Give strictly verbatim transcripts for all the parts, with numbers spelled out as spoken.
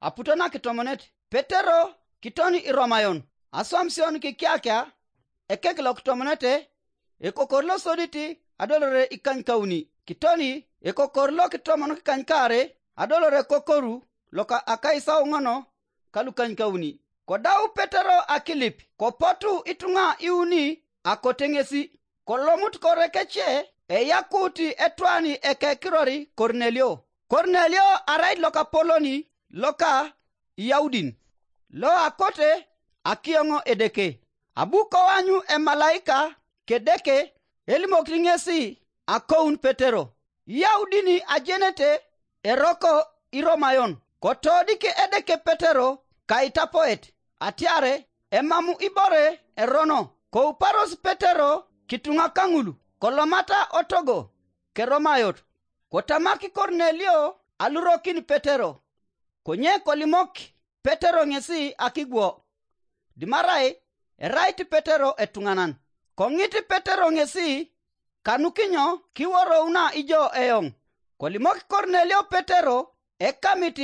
aputo nakitomonet. Petero kitoni iromayon aswamision kikiakia ekek lokitomonete, ekokor losodit adolore ikanykauni, kitoni ekokor lokitomon kikanykaare adolore kokoru loka akaisauŋon kalukanykauni. Kodau Petero akilip, kopotu ituŋa iuni akote ŋesi. Kolomut kore kece, eyakut etwani ekekirori Kornelio. Kornelio arait lokapoloni loka Iyaudin, lo akote akioŋ Edeke. Abu koanyu emalaika k'Edeke elimokit ŋesi akoun Petero. Iyaudin ajenete eroko Iromayon, kotodik Edeke Petero kaitapoet, atiare emamu ibore erono. Kouparos Petero kituŋa kaŋul, kolomata otogo keromayot. Kotamak Kornelio alurokin Petero, konye kolimok Petero ŋesi akigwo. Dimarai erait Petero etuŋanan. Koŋit Petero ŋesi kanukinyo kiworouna ijo eoŋ. Kolimok Kornelio Petero ekamit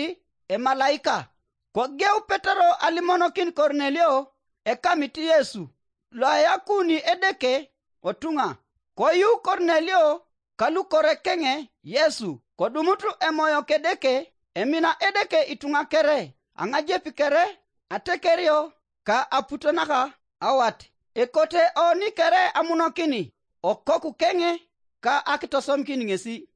emalaika. Kogeu Petero alimonokin Kornelio ekamit Yesu, loayakuni Edeke otuŋa. Koyu Kornelio kalukorekeŋe Yesu, kodumut emoyo k'Edeke, emina Edeke ituŋa kere, aŋajep kere, atekerio, ka aputo naka awat. Ekote oni kere amunokini okoku keŋe ka akitosomikin ŋesi.